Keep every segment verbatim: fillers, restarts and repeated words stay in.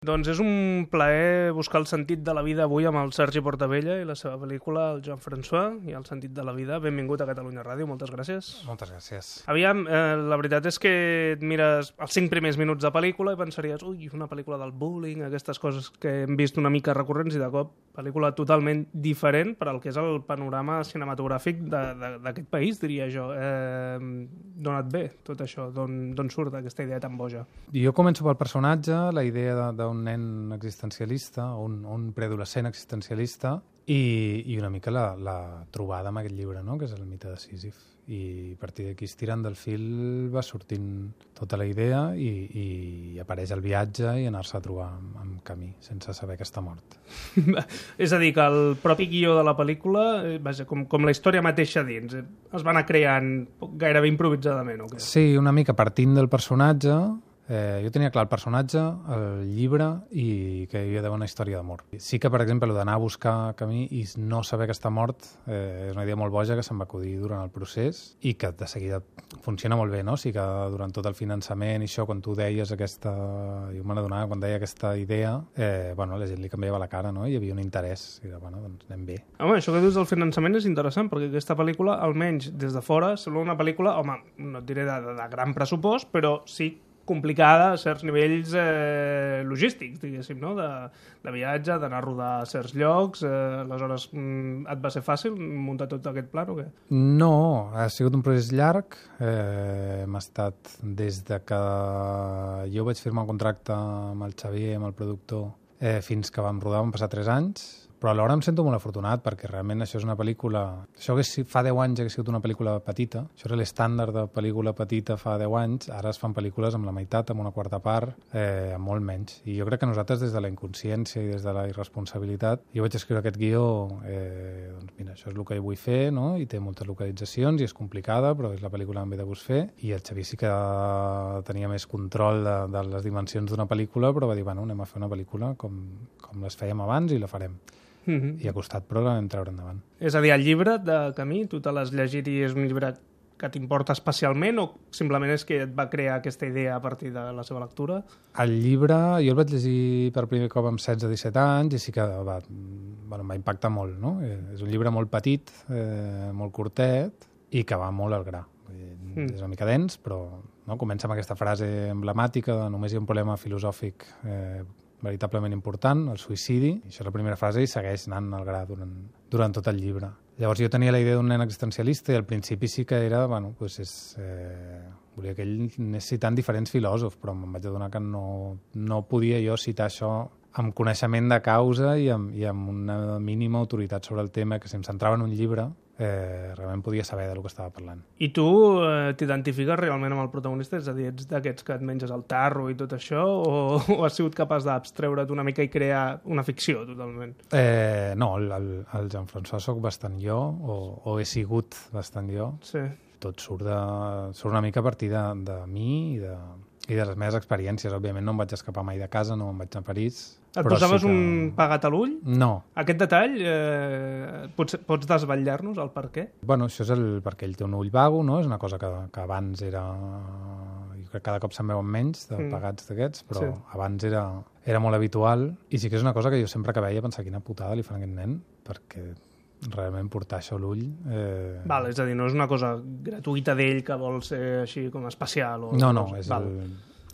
Doncs és un plaer buscar el sentit de la vida avui amb el Sergi Portabella i la seva pel·lícula, el Jean-François, i el sentit de la vida. Benvingut a Catalunya Ràdio, moltes gràcies. Moltes gràcies. Aviam, eh, la veritat és que et mires els cinc primers minuts de pel·lícula i pensaries, ui, una pel·lícula del bullying, aquestes coses que hem vist una mica recurrents, i de cop, pel·lícula totalment diferent per al que és el panorama cinematogràfic d'aquest país, diria jo. Eh, D'on et ve tot això? D'on surt aquesta idea tan boja? Jo començo pel personatge, la idea de, de un nen existencialista, un, un preadolescent existencialista, i, i una mica la, la trobada amb aquest llibre, no? Que és el mite de Sísif. I a partir d'aquí, estirant del fil, va sortint tota la idea i, i apareix el viatge i anar-se a trobar amb, amb camí, sense saber que està mort. És a dir, que el propi guió de la pel·lícula, eh, vaja, com, com la història mateixa dins, eh, es va anar creant gairebé improvisadament, o què? Sí, una mica partint del personatge. Eh, jo tenia clar el personatge, el llibre i que hi havia d'haver una història d'amor. Sí que, per exemple, d'anar a buscar camí i no saber que està mort eh, és una idea molt boja que se'm va acudir durant el procés i que de seguida funciona molt bé, no? O sigui que durant tot el finançament i això, quan tu deies aquesta... Jo me n'adonava quan deia aquesta idea, eh, bueno, la gent li canviava la cara, no? Hi havia un interès. I de, bueno, doncs anem bé. Home, això que dius del finançament és interessant, perquè aquesta pel·lícula, almenys des de fora, sembla una pel·lícula, home, no et diré de, de, de gran pressupost, però sí complicada a certs nivells eh, logístics, diguéssim, no? De, de viatge, d'anar a rodar a certs llocs. Eh, aleshores, mm, et va ser fàcil muntar tot aquest plan o què? No, ha sigut un procés llarg. Eh, hem estat des de que jo vaig firmar un contracte amb el Xavier, amb el productor, eh, fins que vam rodar, van passar tres anys. Però alhora em sento molt afortunat perquè realment això és una pel·lícula... Això que fa deu anys hagués sigut una pel·lícula petita, això era l'estàndard de pel·lícula petita fa deu anys, ara es fan pel·lícules amb la meitat, amb una quarta part, eh, amb molt menys. I jo crec que nosaltres, des de la inconsciència i des de la irresponsabilitat, jo vaig escriure aquest guió, eh, doncs mira, això és el que vull fer, no? I té moltes localitzacions i és complicada, però és la pel·lícula que em ve de gust fer. I el Xavier sí que tenia més control de, de les dimensions d'una pel·lícula, però va dir, bueno, anem a fer una pel·lícula com, com les fèiem abans i la farem. Mm-hmm. I ha costat, però la vam treure endavant. És a dir, el llibre de Camí, tu te l'has llegit i és un llibre que t'importa especialment o simplement és que et va crear aquesta idea a partir de la seva lectura? El llibre, jo el vaig llegir per primer cop amb setze disset anys i sí que va, bueno, em va impactar molt, no? És un llibre molt petit, eh, molt curtet i que va molt al gra. Mm. És una mica dens, però no? Comença amb aquesta frase emblemàtica de només hi ha un problema filosòfic eh, veritablement important, el suïcidi. I això és la primera frase i segueix anant al gra durant, durant tot el llibre. Llavors jo tenia la idea d'un nen existencialista i al principi sí que era, bueno, doncs és, eh, volia que ell anés citant diferents filòsofs, però em vaig adonar que no, no podia jo citar això amb coneixement de causa i amb, i amb una mínima autoritat sobre el tema, que si em centrava en un llibre eh, realment podia saber del que estava parlant. I tu eh, t'identifiques realment amb el protagonista? És a dir, ets d'aquests que et menges el tarro i tot això, o, o has sigut capaç d'abstreure't una mica i crear una ficció totalment? Eh, no, el, el, el Jean-François soc bastant jo, o, o he sigut bastant jo. Sí. Tot surt, de, surt una mica a partir de, de mi i de, i de les meves experiències. Òbviament no em vaig escapar mai de casa, no em vaig anar a París. Et posaves sí que... un pegat a l'ull? No. Aquest detall, eh, pots, pots desvetllar-nos el per què? Bueno, això és el perquè ell té un ull vago, no? És una cosa que, que abans era... Jo crec que cada cop se'n veuen menys de mm. pegats d'aquests, però sí. Abans era, era molt habitual. I sí que és una cosa que jo sempre que veia pensava quina putada li fan a aquest nen, perquè realment portar això a l'ull... Eh... Val, és a dir, no és una cosa gratuïta d'ell que vol ser així com especial? O no, no, és el,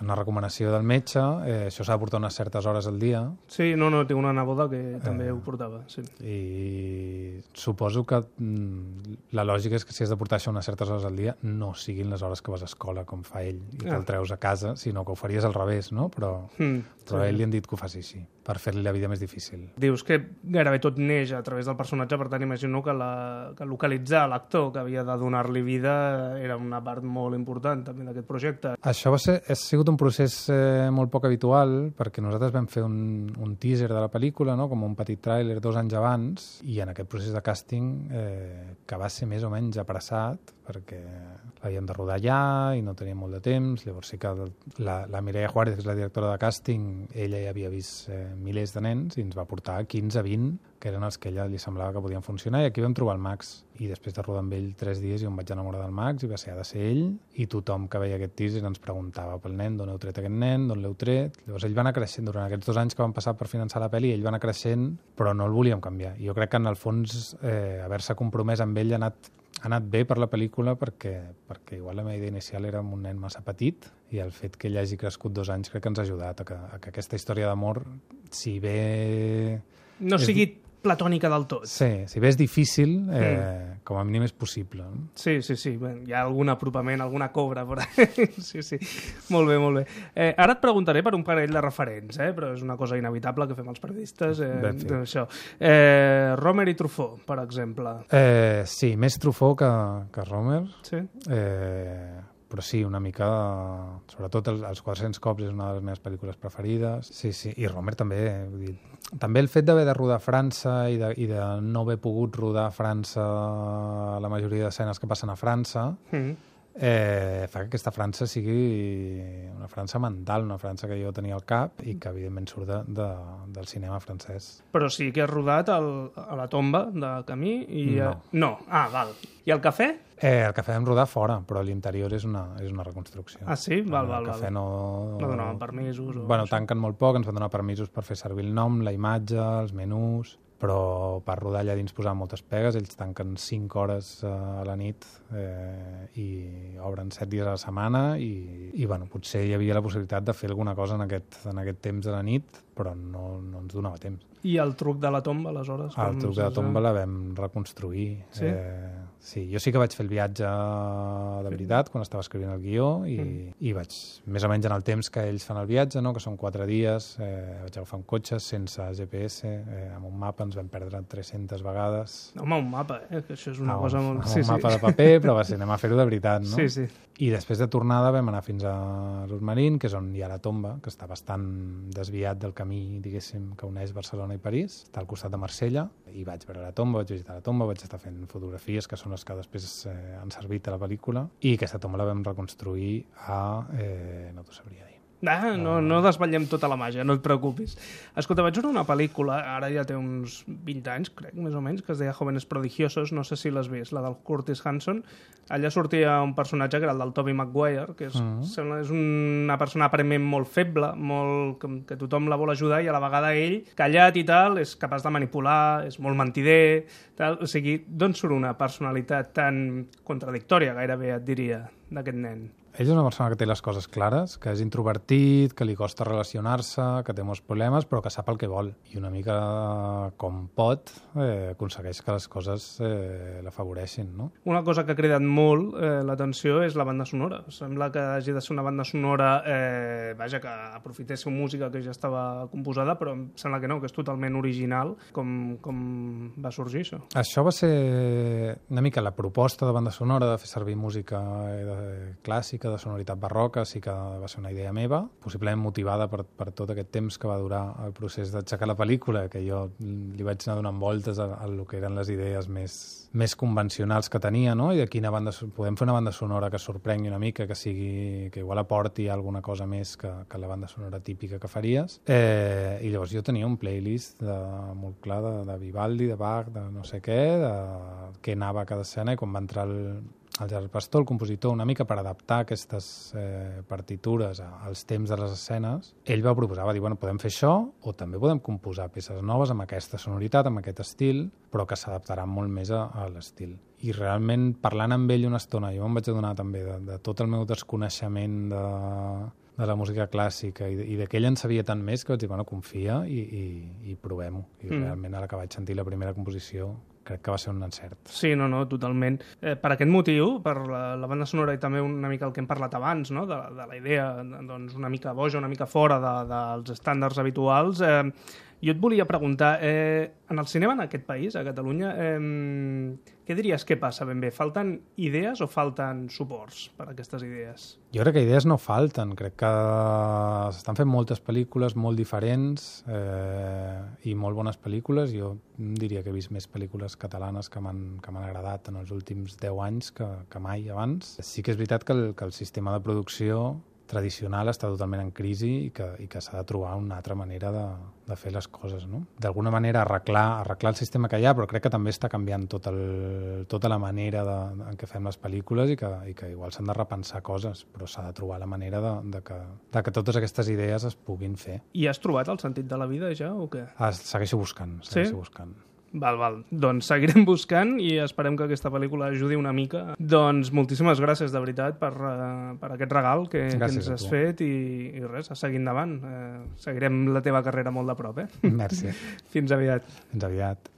una recomanació del metge, eh, això s'ha de portar unes certes hores al dia. Sí, no, no, tinc una neboda que també eh, ho portava, sí. I suposo que mm, la lògica és que si has de portar això unes certes hores al dia no siguin les hores que vas a escola, com fa ell, i que ah. el treus a casa, sinó que ho faries al revés, no? Però, mm, però sí. A ell li han dit que ho faci així, per fer-li la vida més difícil. Dius que gairebé tot neix a través del personatge, per tant imagino que, la, que localitzar l'actor que havia de donar-li vida era una part molt important també d'aquest projecte. Això va ser, ha sigut un procés eh, molt poc habitual, perquè nosaltres vam fer un, un teaser de la pel·lícula, no? Com un petit tràiler dos anys abans, i en aquest procés de càsting, eh, que va ser més o menys apressat, perquè l'havíem de rodar allà i no teníem molt de temps. Llavors sí que la, la Mireia Juárez, que és la directora de càsting, ella ja havia vist eh, milers de nens i ens va portar quinze vint que eren els que a ella li semblava que podien funcionar, i aquí vam trobar el Max. I després de rodar amb ell tres dies jo em vaig enamorar del Max i va ser, ha de ser ell, i tothom que veia aquest teaser ens preguntava pel nen, d'on heu tret aquest nen, d'on l'heu tret. Llavors ell va anar creixent durant aquests dos anys que van passar per finançar la pel·li, ell va anar creixent, però no el volíem canviar. Jo crec que en el fons eh, haver-se compromès amb ell ha anat ha anat bé per la pel·lícula perquè, perquè igual la meva idea inicial era un nen massa petit, i el fet que ell hagi crescut dos anys crec que ens ha ajudat a que, a que aquesta història d'amor, si bé... No és... sigui platònica del tot. Sí, si bé és difícil, eh, mm. com a mínim és possible. No? Sí, sí, sí. Bé, hi ha algun apropament, alguna cobra per ahí. Sí, sí. Molt bé, molt bé. Eh, ara et preguntaré per un parell de referents, eh, però és una cosa inevitable que fem els periodistes. Eh, això. Eh, Romer i Truffaut, per exemple. Eh, sí, més Truffaut que, que Romer. Sí. Eh, però sí, una mica... Sobretot els, els quatre-cents cops és una de les meves pel·lícules preferides. Sí, sí, i Romer també. Vull dir, també el fet d'haver de rodar a França i de, i de no haver pogut rodar a França la majoria d'escenes que passen a França, mm. eh, fa que aquesta França sigui una França mental, una França que jo tenia al cap i que evidentment surt de, de, del cinema francès. Però sí que has rodat el, a la tomba de Camí i... No. Eh, no. Ah, val. I el cafè? Eh, el cafè vam rodar fora, però l'interior és, una, és una reconstrucció. Ah, sí? Val, val, el cafè val. no... No donaven permisos? O bueno, això. tanquen molt poc, ens van donar permisos per fer servir el nom, la imatge, els menús, però per rodar allà dins posaven moltes pegues, ells tanquen cinc hores a la nit eh, i obren set dies a la setmana i, i bueno, potser hi havia la possibilitat de fer alguna cosa en aquest, en aquest temps de la nit, però no, no ens donava temps. I el truc de la tomba, aleshores? El truc de la tomba la vam reconstruir. Sí? Eh, sí, jo sí que vaig fer el viatge de veritat quan estava escrivint el guió i, mm. i vaig, més o menys en el temps que ells fan el viatge, no? Que són quatre dies, eh, vaig agafar un cotxe sense G P S, eh, amb un mapa ens vam perdre tres-centes vegades. Home, un mapa, eh? Que això és una ah, cosa molt... Amb sí, un sí. mapa de paper, però va ser, anem a fer-ho de veritat, no? Sí, sí. I després de tornada vam anar fins a l'Urmarín, que és on hi ha la tomba, que està bastant desviat del camí, diguéssim, que uneix Barcelona i París. Està al costat de Marsella, i vaig veure la tomba, vaig visitar la tomba, vaig estar fent fotografies, que són les que després eh, han servit a la pel·lícula, i aquesta tomba la vam reconstruir a... Eh, no t'ho sabria dir. Ah, no, no desvetllem tota la màgia, no et preocupis. Escolta, vaig veure una pel·lícula, ara ja té uns vint anys, crec, més o menys, que es deia Jóvenes Prodigiosos, no sé si l'has vist, la del Curtis Hanson. Allà sortia un personatge que era el del Tobey Maguire, que és, uh-huh. sembla, és una persona aparentment molt feble, molt, que, que tothom la vol ajudar, i a la vegada ell, callat i tal, és capaç de manipular, és molt mentider, tal. O sigui, d'on surt una personalitat tan contradictòria, gairebé et diria, d'aquest nen? Ell és una persona que té les coses clares, que és introvertit, que li costa relacionar-se, que té molts problemes, però que sap el que vol. I una mica com pot, eh, aconsegueix que les coses eh, l'afavoreixin, no? Una cosa que ha cridat molt eh, l'atenció és la banda sonora. Sembla que hagi de ser una banda sonora, eh, vaja, que aprofités música que ja estava composada, però em sembla que no, que és totalment original. Com, com va sorgir això? Això va ser una mica la proposta de banda sonora, de fer servir música eh, clàssica, de sonoritat barroca, sí que va ser una idea meva, possiblement motivada per, per tot aquest temps que va durar el procés d'aixecar la pel·lícula, que jo li vaig anar donant voltes a, a lo que eren les idees més, més convencionals que tenia, no? I de quina banda... Podem fer una banda sonora que sorprengui una mica, que sigui... que igual aporti alguna cosa més que, que la banda sonora típica que faries. Eh, I llavors jo tenia un playlist de, molt clar de, de Vivaldi, de Bach, de no sé què, de què anava a cada escena, i quan va entrar el el Gerard Pastor, el compositor, una mica per adaptar aquestes eh, partitures a, als temps de les escenes, ell va proposar, va dir, bueno, podem fer això o també podem composar peces noves amb aquesta sonoritat, amb aquest estil, però que s'adaptaran molt més a, a l'estil. I realment, parlant amb ell una estona, jo em vaig adonar també de, de tot el meu desconeixement de, de la música clàssica i de, i de que ell en sabia tant més que vaig dir, bueno, confia i, i, i provem-ho. I mm. realment, ara que vaig sentir la primera composició, crec que va ser un encert. Sí, no, no, totalment. Eh, per aquest motiu, per la, la banda sonora i també una mica el que hem parlat abans, no? de, de la idea doncs, una mica boja, una mica fora de, dels estàndards habituals, eh, jo et volia preguntar, eh, en el cinema en aquest país, a Catalunya, eh, què diries que passa ben bé? Falten idees o falten suports per a aquestes idees? Jo crec que idees no falten. Crec que s'estan fent moltes pel·lícules molt diferents eh, i molt bones pel·lícules. Jo diria que he vist més pel·lícules catalanes que m'han que m'han agradat en els últims deu anys que, que mai abans. Sí que és veritat que el, que el sistema de producció tradicional està totalment en crisi i que, i que s'ha de trobar una altra manera de, de fer les coses, no? D'alguna manera arreglar, arreglar el sistema que hi ha, però crec que també està canviant tot el, tota la manera de, de, en què fem les pel·lícules i que, i que igual s'han de repensar coses, però s'ha de trobar la manera de, de, que, de que totes aquestes idees es puguin fer. I has trobat el sentit de la vida ja o què? Ah, segueixo buscant, segueixo sí? buscant. Val, val. Doncs seguirem buscant i esperem que aquesta pel·lícula ajudi una mica. Doncs moltíssimes gràcies, de veritat, per, uh, per aquest regal que, que ens has fet i, i res, a seguir endavant. Uh, seguirem la teva carrera molt de prop, eh? Merci. Fins aviat. Fins aviat.